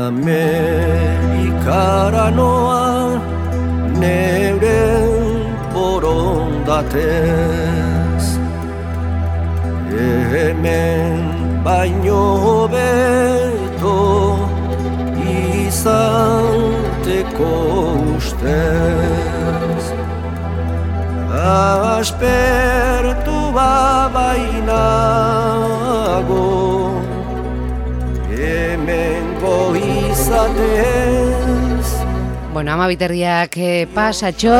Amerikara noa neuren borondatez, hemen baino hobeto izateko ustez. Aspertu bainago hemengo izatez. Bueno, ama biterriak pasatxo.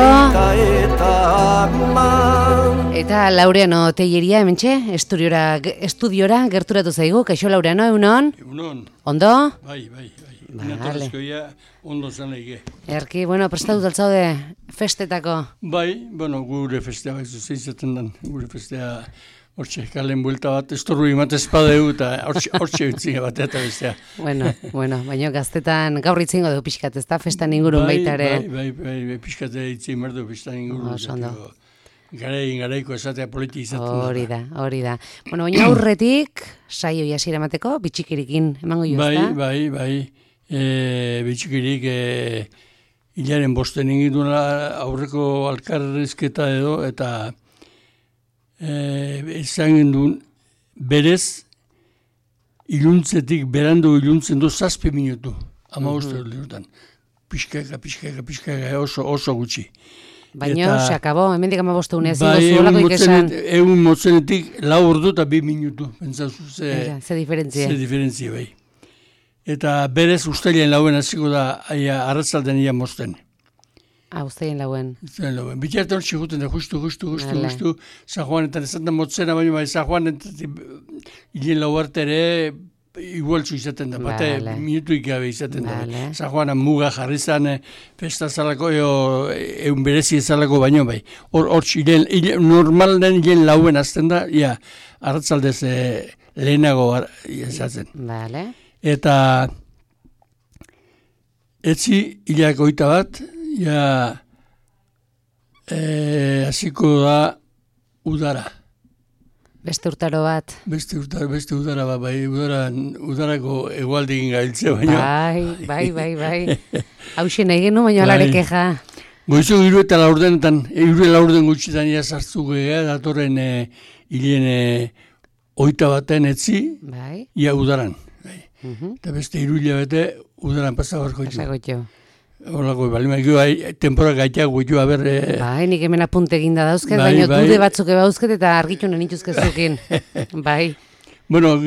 Eta Laureano Telleria hementxe, estudiora gerturatu zaigu. Kaixo Laureano, egunon? Egunon. Ondo? Bai. Natorrezkoia ondo zaneike. Erki, bueno, prestatu daltzaude festetako. Bai, bueno, gure festea baizu zeizaten den. Gure festea hortxe kalen buelta bat, estorru imatez padeu eta hortxe utzine bat eta bestea. Bueno, baina gaztetan gaur itzingo dugu pixkat, ez da? Festan ingurun baitare. Bai, pixkate itzin merdu festan ingurun. Garaiko esatea politi izaten da. Hori da. Bueno, baina aurretik, saio hasiera emateko, bitxikirikin emango jo, ez da? Bai. Bitxikirik hilaren bosten ingiduna aurreko alkarrezketa edo, eta esan gendun berez iluntzetik berandu iluntzen du 7 minutu. 15 minutan. Pixkaka, oso gutxi. Baina, se acabó, hemendik 15 unez, zuolako ikesan. Egun motzenetik 4 ordu eta 2 minutu. Pentsazu ze diferentzia. Ze diferentzia, bai. Eta berez ustailen lauen hasiko da arratzalden ia mozten. Ustailen lauen. Bitartan hor txiguten da, justu, San Juanetan ezaten motzena, baina San Juanetan hilen lau arte ere igualtzu izaten da, bate minutuik gabe izaten da. San Juanan muga jarri zan, festa zalako, egun berezi ezalako baino bai. Hor normal den hilen lauen azten da, arratzaldez lehenago izatzen. Bale. Eta etzi hilak 21, hasiko da udara. Beste urtaro bat. Beste udara bat, bai, udarako egualdekin gabiltze baino. Bai. Hauxen nahi genu, baino alare keja. Goizu 3 eta 4 denetan, 3 eta 4 gutxitan sartzu gea, datorren hilen 21 etzi, ia udaran. Eta beste 3 hilabete udaran pasabarko ditu. Horako, tempora gaitak guitu, Bai, nik hemen apunte eginda dauzket, baina dude batzuk ebauzket eta argitunen ituzkezukin. Bai. Bueno,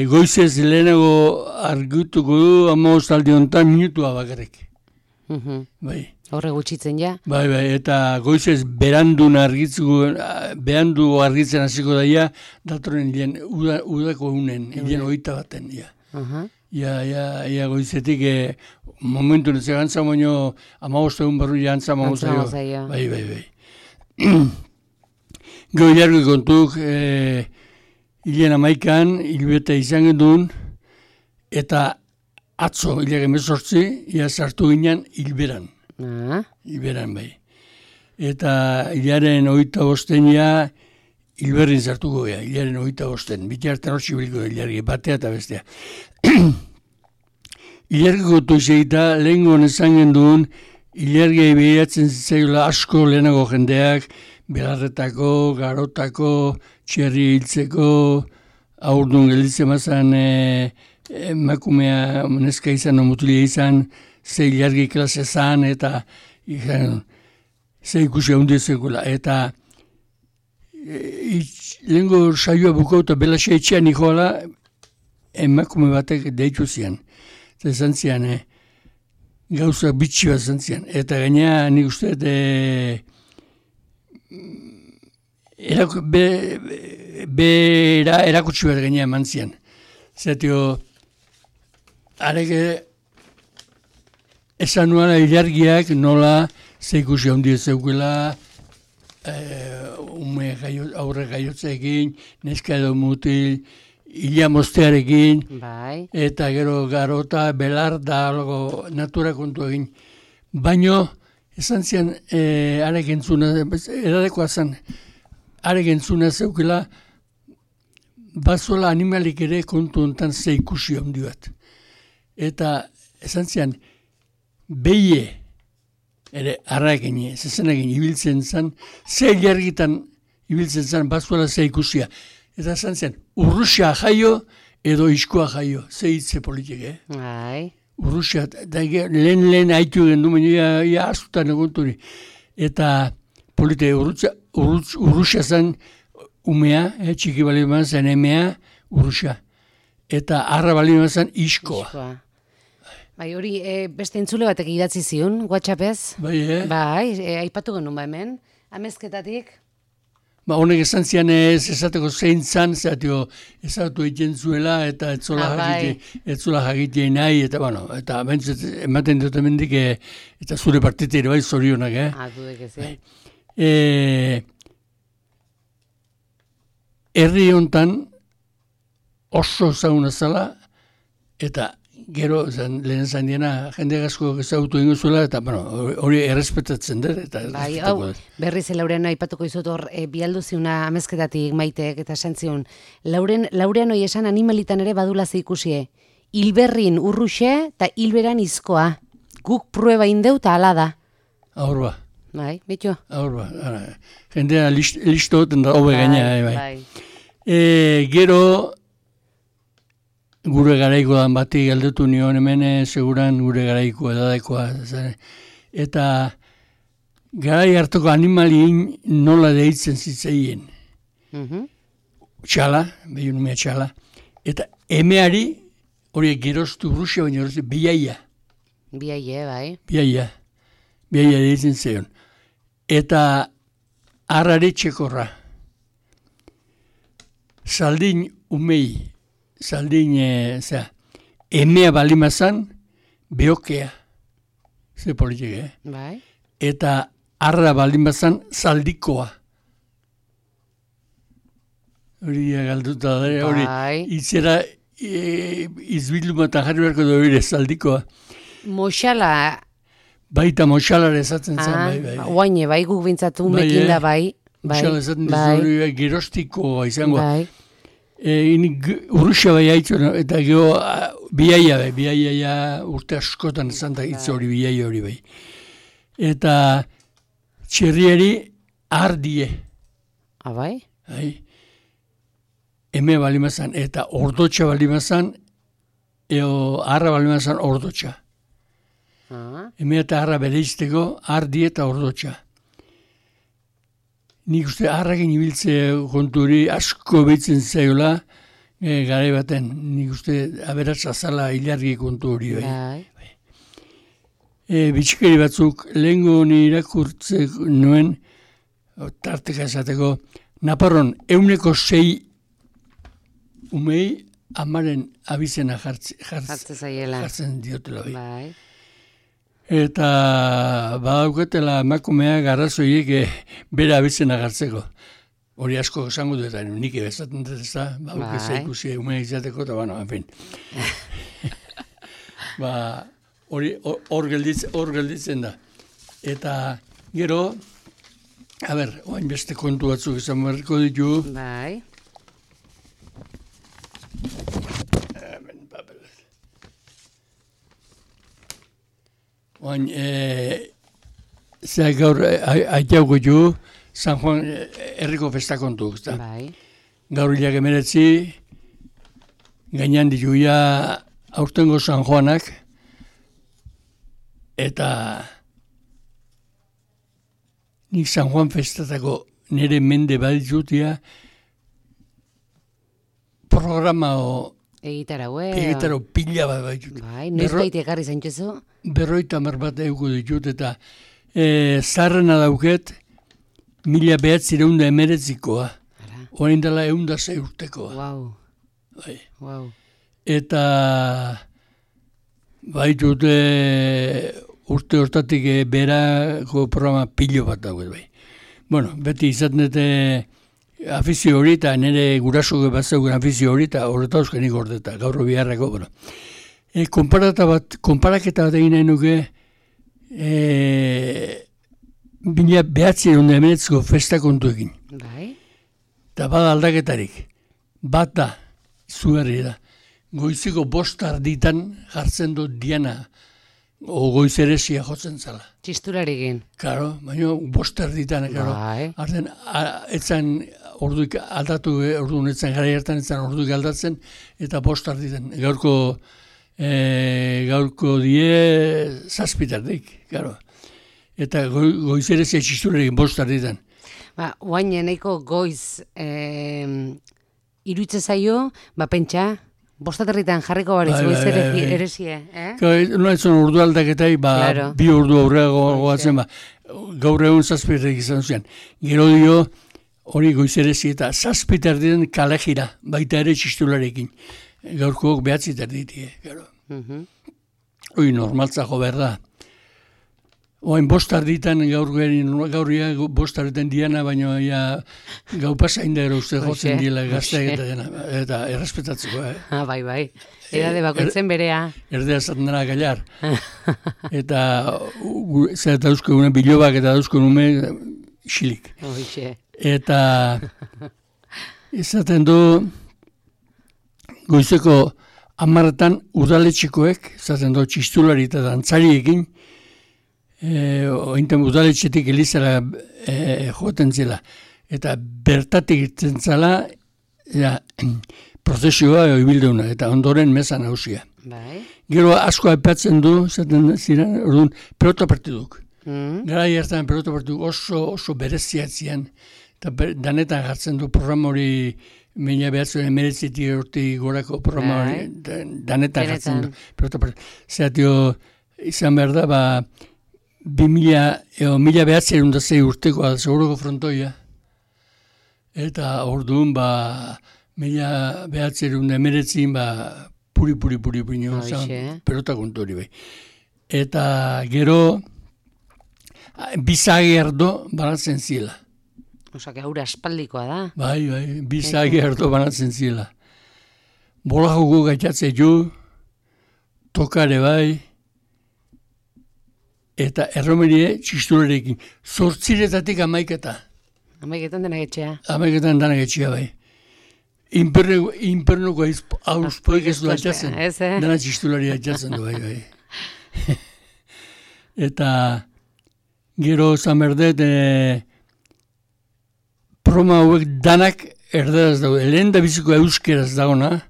goizez lehenago argituko du, 15 aldi honetan minutua bakarrik. Bai. Horre gutxitzen ja. Bai, eta goizez berandu argitzen hasiko daia, datorren hilen udako egunen, hilen 21, ja. Ia goizetik momentu netzea gantza, baino 15 egun barru jantza zaio. Bai. Gero jarri kontuk, hilen 11an, hilbete izan gendun, eta atzo, hilak 18, ia sartu ginen hilberan. Hilberan, bai. Eta hilaren 25 hilberrin sartuko gea, hilaren 25. Bitartan hor zibiliko hilargi, batea eta bestea. Ilargiko toizegita, lehen gonen zangen duen, ilargiai behiratzen zitzaiola asko lehenago jendeak, belarretako, garotako, txerri hiltzeko, aurdun gelditzen mazan emakumea neska izan, mutilia izan, ze ilargi klase zan, eta ze ikusi handia zekula. Eta lehenko saioa bukauta belaxa etxean ikoala, emakume batek deitu zian. Eta esan zian, gauza bitxi bat esan zian. Eta gaina nik uste, erakutsi bat gaina eman zian. Zatio, areke esan nuala ilargiak nola zeikusi handi zeukela, aurre gaiotzeekin, neska edo mutil, Ila moztearekin, eta gero garota, belar da algo natura kontu egin. Baino, esan zian, arek entzuna, eradekoa zen, arek entzuna zeukela, bazola animalik ere kontu hontan ze ikusi handi bat. Eta esan zian, beie, ere arraekin, zezenekin ibiltzen zen, ze jargitan ibiltzen zen, bazola ze ikusia. Eta esan zian, Urrusia jaio edo iskua jaio, ze hitze politik, Bai. Urrusia, lehen haitu gendu, ia azutan egonturi. Eta polite, Urrusia zen umea, txiki bali zen emea, Urrusia. Eta arra bali zen iskoa. Bai, hori beste entzule batek idatzi zion, WhatsAppez. Bai, Bai, aipatu genuen hemen, amezketatik. Honek esan zian ez esateko zein zan, ezatu egiten zuela, eta etzola jakitea nahi, eta bueno, eta ematen dut emendik, eta zure partite ere bai zorionak, Dudek ez, Herri hontan oso zauna zala, eta gero, lehen zan diena, jende gazko ezagutu ingo zuela, eta hori errespetatzen dut. Bai, hau, berriz Laureano aipatuko izut hor, bialdu ziuna amezketatik Maitek, eta santzion, Laureano esan animalitan ere badula ze ikusie, hilberrin urruxe, eta hilberan izkoa. Guk prueba indeu, eta ala da. Aur ba. Bai, bitu? Aur ba. Jendea listo hoten da, hobe gaina, bai. Gero, gure garaiko dan bati galdetu nion hemen, seguran gure garaiko edadaikoa. Eta garai hartoko animalien nola deitzen zitzaien. Txala, behiun umea txala. Eta emeari, hori geroztu Urrusia, baina geroztu biaia. Biaia, bai. Biaia deitzen zeion. Eta arrari txekorra. Saldin umei, emea balimazan, beokea. Ze politik, Bai. Eta arra balimazan, zaldikoa. Hori galduta da, hori itzera izbilduma eta jarri beharko da hori zaldikoa. Moxala. Baita moxalare esatzen zen, bai. Oaine, bai, guk bintzatu mekin da, bai. Moxala esaten dizu gerostikoa izango. Bai. Urrusia bai haitzu, eta gero biaia urte askotan esan da hitz hori, biaia hori bai. Eta txerriari ardie. Bai? Bai. Eme balimazan, eta ordotxa balimazan, arra balimazan ordotxa. Eme eta arra bereizteko, ardi eta ordotxa. Nik uste arrakin ibiltze konturi asko behitzen zaiola, garai baten, nik uste aberatsa zala hilargi kontu hori. Bitxikeri batzuk, lehengo ni irakurtze nuen, tarteka esateko, Naparron 106 umei amaren abizena jartzen diotela. Bai. Eta badauketela emakumea garrazoiek bera abizena gartzeko. Hori asko esango dut, nik ebezaten dut ez da, baukeza ikusi umea izateko, eta bueno, en fin. Hor gelditzen da. Eta gero, oain beste kontu batzuk izan beharko ditu. Bai. Oain, gaur aitauko ju, San Juan herriko festa kontu. Bai. Gaur hilak 19, gainan dituia aurtengo San Juanak, eta nik San Juan festatako nire mende baditutia programa egitaro pila bat baitut. Bai, noiz baite ekarri zaintzezu? 50 bat euko ditut, eta zarrena dauket 1919koa. Horain dela 106 urtekoa. Wow. Eta baitut urte hortatik berako programa pilo bat dauket bai. Bueno, beti izaten dute afizio hori, eta nire guraso bat zeugen afizio hori, eta horreta euskenik gordeta, gaur biharrako, bueno. Konparaketa bat egin nahi nuke, 1919ko festa kontuekin. Bai. Eta bada aldaketarik. bat da, zuherri da. Goizeko 5:00 jartzen du Diana, o goizeresia jotzen zala. Txistularekin. Karo, baina 5:00, karo. Arden, etzan orduik aldatu, orduan etzan gara hartan etzan orduik aldatzen, eta 5:00. Gaurko die 7:00, karo. Eta goizerezia txistularekin 5:00. Oain nahiko goiz iruitze zaio, pentsa, 5:00 jarriko bariz goizerezie. No ez zon ordu aldaketai, bi ordu aurrera goatzen, gaur egun 7:00 izan zian. Gero dio, hori goizerezi eta 7:00 kale jira, baita ere txistularekin. Gaurko 9:00 ditie, gero. Hoi normaltzako berda. Oain 5:00 gaurria 5:00 Diana, baina gau pasain da ero uste jotzen diela gazteak eta dena, eta errespetatzeko. Bai. Edade bakoitzen berea. Erdea zaten dara gailar. Eta zer dauzko gune bilobak eta dauzko nume xilik. Eta izaten du goizeko 10:00 udaletxikoek, izaten du txistulari eta dantzariekin, ointen udaletxetik elizara joten zela. Eta bertatik irten zela, prozesioa ibildeuna, eta ondoren meza nausia. Gero asko aipatzen du, zaten ziren, orduan, pelota partiduk. Gara hartan pelota partiduk oso bereziatzean, eta danetan jartzen du programa hori 1989 urte gorako programa hori, danetan jartzen du pelota partiduk. Zeratio, izan behar da, 1906 urtekoa seguroko frontoia. Eta orduan, 1919 puri, pelota kontu hori bai. Eta gero, bizagi erdo banatzen zila. Osa, aurre aspaldikoa da. Bai, bizagi erdo banatzen zila. Bola joko gaitatze ju, tokare bai, eta erromerie txistularekin. 8:00 amaiketa. Amaiketan denak etxea. Amaiketan denak etxea bai. Inpernuko auspoik ez du atxatzen. Dena txistulari atxatzen du bai. Eta gero zamerdet proma hauek danak erderaz dago. Lehen da biziko euskeraz dagona,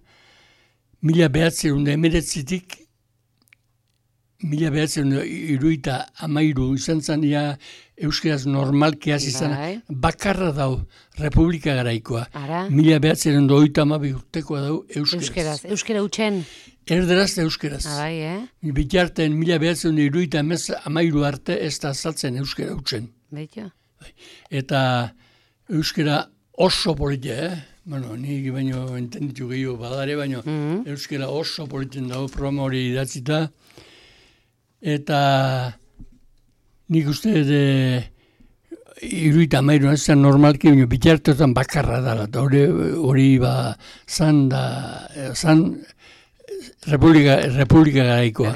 1919-tik 1973 izan zen euskeraz normalkiaz izan, bakarra dau Republika Garaikoa. 1932 urtekoa dau euskeraz. Euskera utxen? Erderaz da euskeraz. Bitarten 1973 arte ez da azaltzen euskera utxen. Eta euskera oso politia, nik baino entenditu gehiago badare, baino euskera oso politien dago programa hori idatzita. Eta nik uste 73 ez zen normalki, bitartetan bakarra dala, eta hori zan Republika Garaikoa.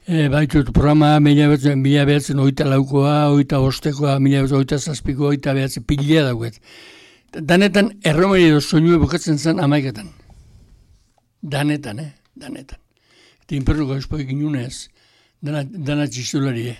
Baitut programa 1924koa, 25koa, 1927koa, 1927 pilea dauket. Danetan erromeri edo soinue bukatzen zen amaiketan. Danetan. Eta inpernuko espoik inunez, dana txistulari.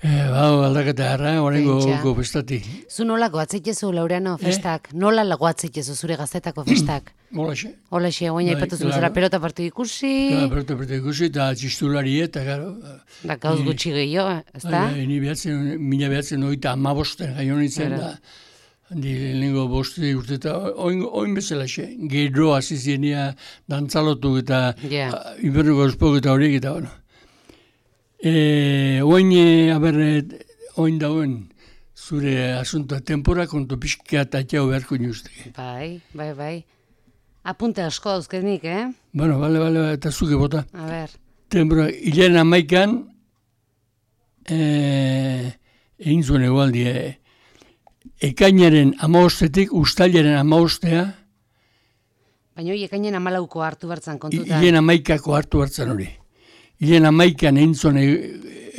Aldaketa harra, horrengo festati. Zu nola goatzeitezu, Laureano, festak? Nola goatzeitezu zure gaztetako festak? Holaxe. Holaxe, guaina ipatuzu zara pelota partidu ikusi. Pelota partidu ikusi, eta txistulari, eta gero. Da, gauz gutxi gehiago, ez da? Ni behatzen, 1985 gaio nintzen da. Lehenengo 5 urte eta oin bezala xe. Gero azizienia dantzalotu eta inbernuko espok eta horiek eta bueno. Oin dauen zure asuntoa tempora kontu pixka eta txau beharko nuzteke. Bai. Apunte asko dauzkenik, Bueno, bale, eta zuke bota. A ber. Tempora, hilen 11 egin zuen egualdi, ekainaren 15-tik ustailaren 15. Baina hori ekainen 14ko hartu bertzan kontuta. Hilen 11ko hartu bertzan hori. Hilen 11an egin zuen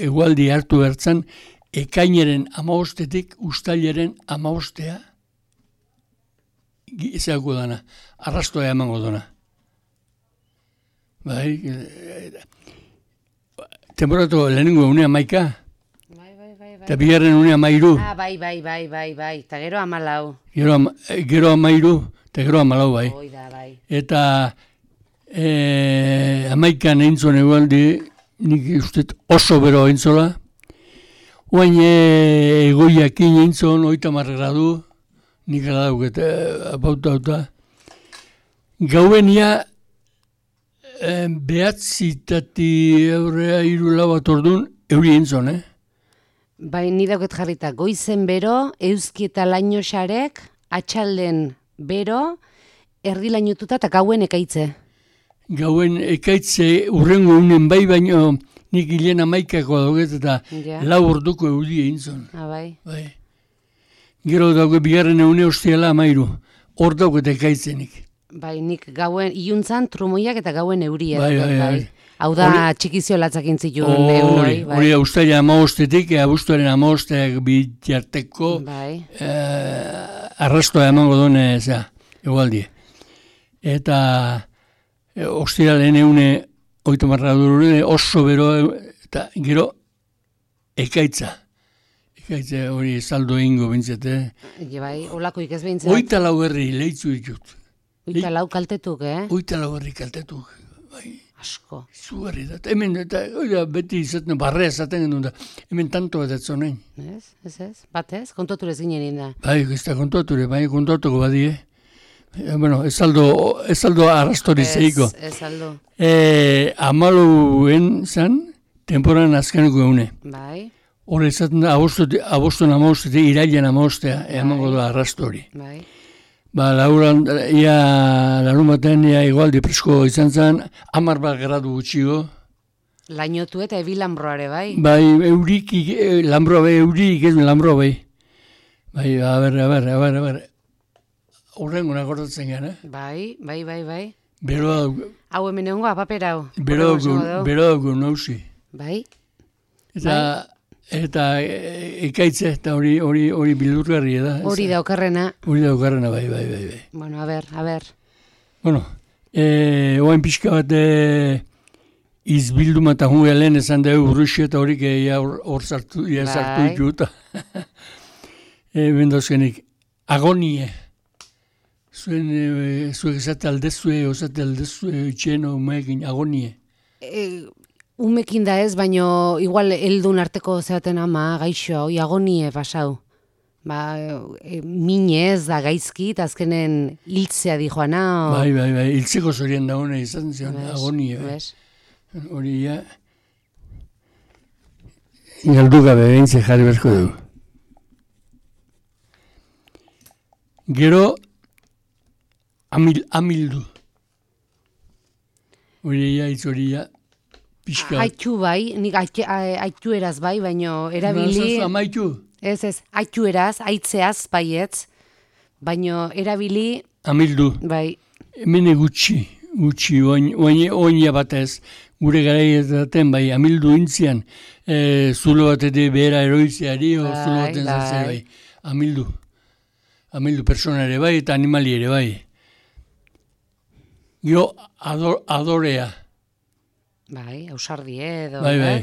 egualdi hartu bertzan, ekainaren 15-tik ustailaren 15. zeako dana, arrastoa emango dana. Bai, temporatu lehenengo unea maika, eta bigarren unea mairu. Bai, eta gero 14. Gero 13, eta gero 14, bai. Oida, bai. Eta 11 eintzon egualdi, nik uste oso bero eintzola, oain egoiakin eintzon 30 gradu, nik gara dauket, apauta. Gauenia, behatzitati eurea 3-4 bat ordun, euri eintzon, Bai, ni dauket jarrita, goizen bero, euski eta lainoxarek, atxalden bero, erdi lainotuta eta gauen ekaitze. Gauen ekaitze urrengo unen bai, baino nik hilen 11ako dauket eta 4 orduko euri eintzon. Bai. Gero dauke bigarren une ostiala 13, hor dauket ekaitzenik. Bai, nik gauen iluntzan trumoiak eta gauen euria. Bai. Hau da txikizio latzakin zituen eunoi. Hori ustaila 15-tik, abuztuaren 15 bitarteko arrastoa emango duen egualdi. Eta ostiralen eune 30 gradu oso bero eta gero ekaitza. Ekaitza hori saldo egingo bintzete. Bai, olakoik ez bintzat. 24 herri lehitzu ditut. 24 kaltetuk, 24 herri kaltetuk, bai. Asko. Zugarri da. Hemen, beti izaten, barrea izaten genuen da. Hemen tanto bat etzonein. Ez. Batez, kontoturez ginen da. Bai, ez da kontoture, bai, kontotuko badie. Bueno, ez aldo arrastori zeiko. Ez aldo. 14 zan, temporan azkeneko eune. Bai. Hor izaten da, aboston 15, irailan 15, emango da arrastori. Bai. Larun batean igualdi presko izan zen, 10 gradu gutxigo. Lainotu eta ebi lambroare, bai? Bai, eurik, lambroa bai, eurik ez lambroa bai. Bai, a ber. Horrengo nakordatzen gara, Bai. Beroa dugu. Hau hemen egongo, apapera hau. Beroa dugu nauzi. Bai. Eta ekaitze, eta hori bildurgarri da. Hori da okerrena. Bai. Bueno, a ber. Bueno, oain pixka bat izbilduma eta hunga lehen esan da urruxe eta horik hor sartu dut. Bendozkenik, agonie. Zuek esate aldezue, itxeno, umeekin, agonie. Umekin da ez, baino igual heldun arteko zeaten ama, gaixo, agonie pasau. Minez da gaizki, eta azkenen hiltzea di joana. Bai, hiltzeko zorien dagoene izan zion, agonie. Hori galdu gabe behintze jarri berko dugu. Gero, amildu. Hori pixka. Aitu bai, nik aitu eraz bai, baino erabili... Amaitu? Ez, aitu eraz, aitzeaz baietz, baino erabili... Amildu. Bai. Hemen gutxi, oina batez, gure garaietan bai, amildu intzian, zulo bat edo behera eroizeari, zulo baten zartzea bai. Amildu persona ere bai, eta animali ere bai. Gero, adorea. Bai, ausardi edo. Bai.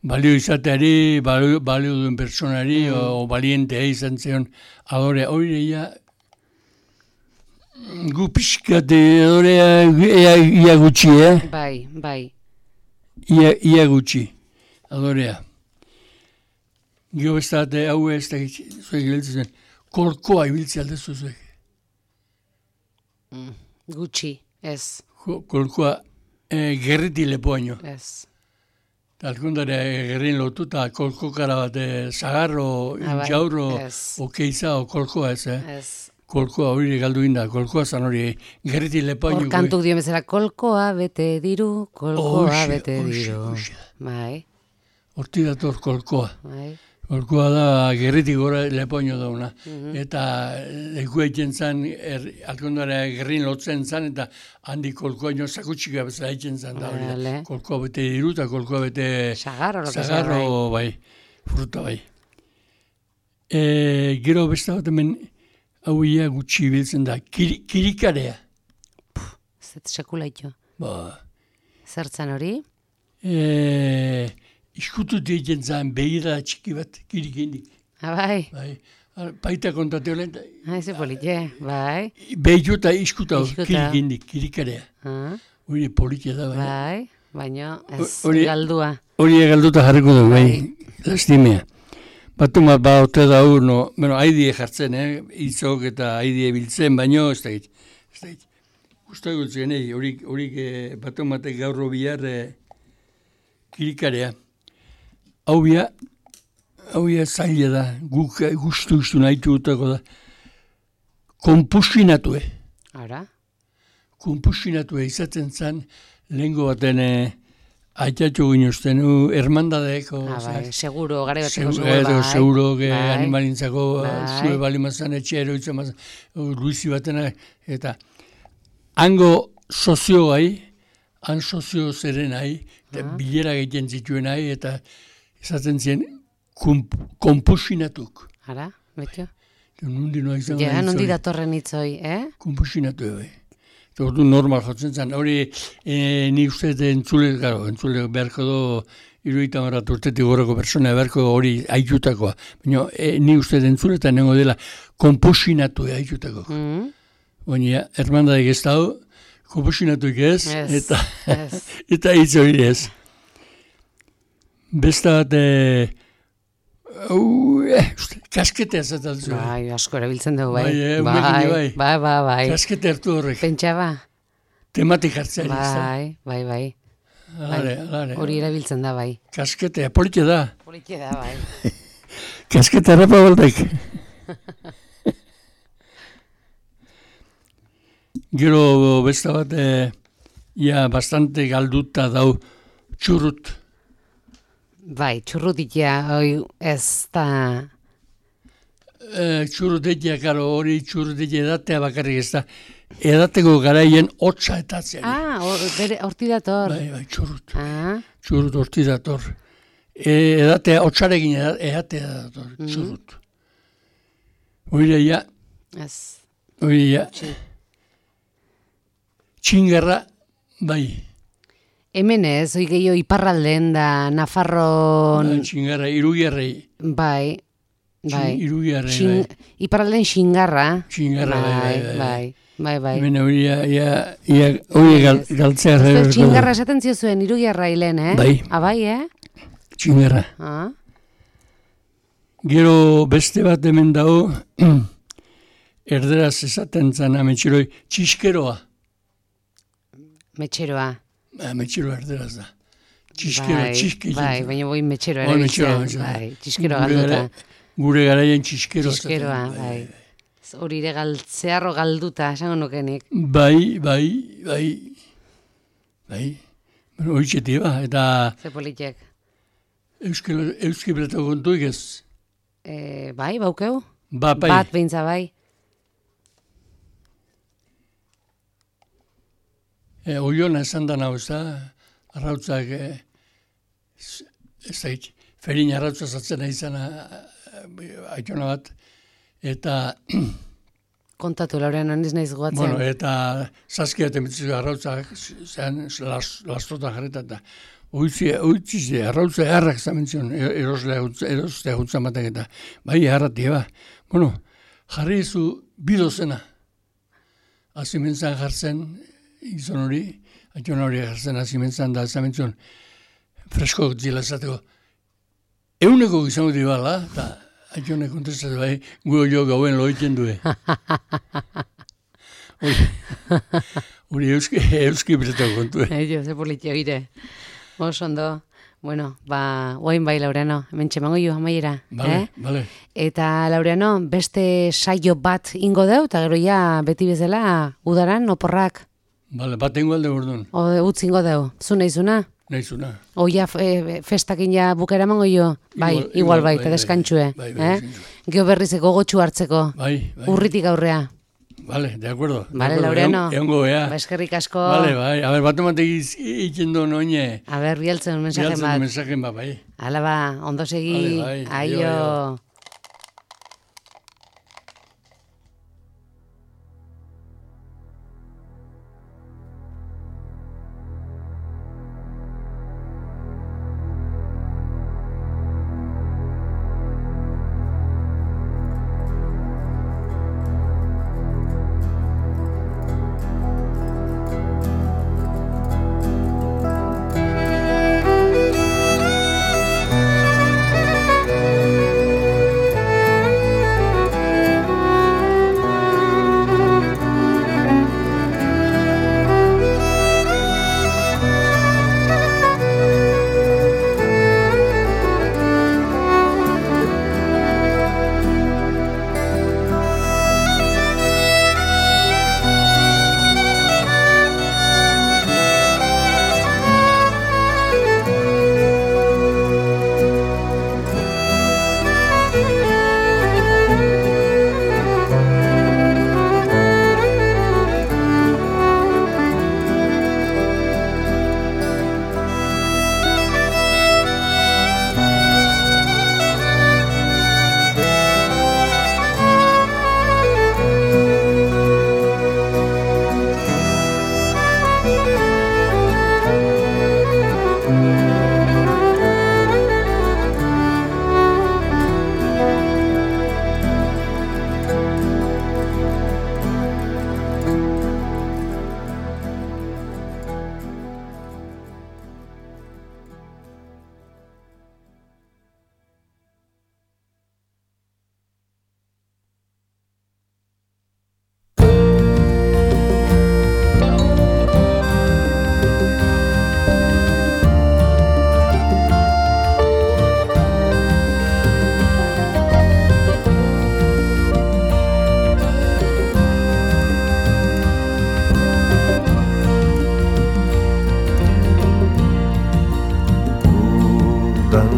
Balio izateari, balio duen personari, o balientea izan zion, adorea. Horea, gu pixkate adorea ia gutxi, Bai. Ia gutxi, adorea. Gio bestate, hau ez da zuek giltzen, kolkoa ibiltzi aldezu zuek. Gutxi, ez. Kolkoa, gerriti lepoaino. Ez. Talkundare gerrin lotu eta kolkokara bat zagarro, jaurro, okeiza, o kolkoa ez, Ez. Kolkoa hori galdu inda, kolkoa zan hori gerriti lepoaino. Hor kantuk dio bezala, kolkoa bete diru, kolkoa bete diru. Bai. Horti dator kolkoa. Bai. Kolkoa da gerritik gora lepoaino dauna. Eta leku egiten zan, alkondara gerrin lotzen zan, eta handi kolkoaino sakutxika bezala egiten zan da hori. Kolkoa bete diru eta kolkoa bete... Zagarro, bai. Fruta, bai. Gero beste bat hemen Hauia gutxi biltzen da, kirikarea. Zet sekula ito. Ba. Zertzen hori? Iskutu deitzen zan behira txiki bat, kirikindik. Bai. Baita kontatu olen. Ze politie, bai. Behitu eta iskuta kirikindik, kirikarea. Hori politia da, bai. Bai, baina ez galdua. Hori galduta jarriko du, bai. Lastimea. Batu bat ote da no, haidie jartzen, itzok eta haidie biltzen, baino ez da git. Gusta gutzen, horik batu batek gaurro bihar kirikarea. Hau zaila da, guk guztu nahitu gutako da. Kompusinatu, Ara? Kompusinatu izaten zan, lehenko baten aitatxo ginozten, hermandadeko. Bai, seguro, gara bateko seguro, animalintzako, zue bali mazan, etxe eroitzen mazan, Luisi batena, eta hango sozio gai, han sozio zeren gai, eta bilera egiten zituen gai, eta izaten zien, komposinatuk. Ara, betio? Nondi datorren itzoi, Komposinatu, bai. Ordu normal jotzen zen, hori ni uste entzule beharko do, 70 urtetik gorako persona beharko hori aitutakoa. Baina ni uste entzule eta nengo dela komposinatu aitutako. Baina, hermandadek ez dago, komposinatuik ez, eta hitz hori ez. Besta bat, kasketea zaten zuen. Bai, asko erabiltzen dugu, bai. Bai. Kaskete hartu horrek. Pentsa ba. Tematik hartzea. Bai. Alare. Hori erabiltzen da, bai. Kasketea, politia da. Politia da, bai. Kaskete harrapa baldak. Gero besta bat, bastante galduta dau txurrut. Bai, txurrutitia, ez da... Txurrutitia, karo, hori txurrutitia edatea bakarrik ez da. Edateko garaien hotza etatzen. Horti dator. Bai, txurrut. Txurrut horti dator. Edatea hotzarekin edatea dator, txurrut. Hori ja. Ez. Hori ja. Txingarra, bai. Hemen ez, oi gehiago iparralden da, Nafarron... Txingarra, Irugiarrei. Bai. Irugiarrei, bai. Iparralden xingarra. Txingarra, bai. Hemen hori galtzea. Txingarra esaten ziozuen, Irugiarra hilen, Bai. Bai, Txingarra. Gero beste bat hemen dago, erderaz esaten zan ametxeroi, txiskeroa. Metxeroa. Metxeroa erderaz da. Txiskero. Bai, baina boi metxeroa erabiltzen. Bai, txiskero galduta. Gure garaien txiskeroa. Txiskeroa, bai. Hori ere zeharro galduta, esango nukenik. Bai. Horitxetik, eta... Ze politiek. Euski beratako kontuik ez? Bai, baukeu? Bai. Bat behintza, bai. Oiona esan da nahu, ez da, arrautzak, ez da, ferin arrautza zatzen izan aitona bat, eta... Kontatu, Laurean, aniz nahiz guatzen. Bueno, eta zazkia temetzizu arrautzak, zean lastota jarreta, eta oitzize, arrautza eharrak zamenzion, erostea juntzan batak eta, bai, eharratia, Bueno, jarri izu bidozena, azimentzan jartzen, izan hori, aitona hori jartzen azimentzan da, zamenzion, fresko zila esateko, euneko izango dibala, eta aitona kontestatu bai, jo gauen loiten due. Hori euski bretako kontue. Ze politia gire. Ondo. Bueno, guain bai, Laureano, hemen txemango jo, amaiera. Bale. Eta, Laureano, beste saio bat ingo deu, eta gero ja, beti bezala, udaran, oporrak. Bale, bat ingo alde bordun. Utz ingo deu. Zu nahizuna? Nahizuna. Oia festakin ja bukera mango jo? Bai, igual bai, eta deskantxue. Geo berrizeko gotxu hartzeko. Bai. Urritik aurrea. Vale, de acuerdo. Vale, Laureano. Egongo, Eskerrik asko. Vale, bai. A ver, bat ematek ikendo noine. A ver, bialtzen un mensaje bat. Bialtzen un mensaje bat, bai. Hala ba, ondo segi. Vale, bai. Aio.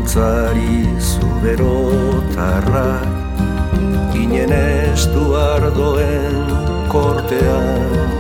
Bihotzari zuberotarrak ginen estu ardoen kortean.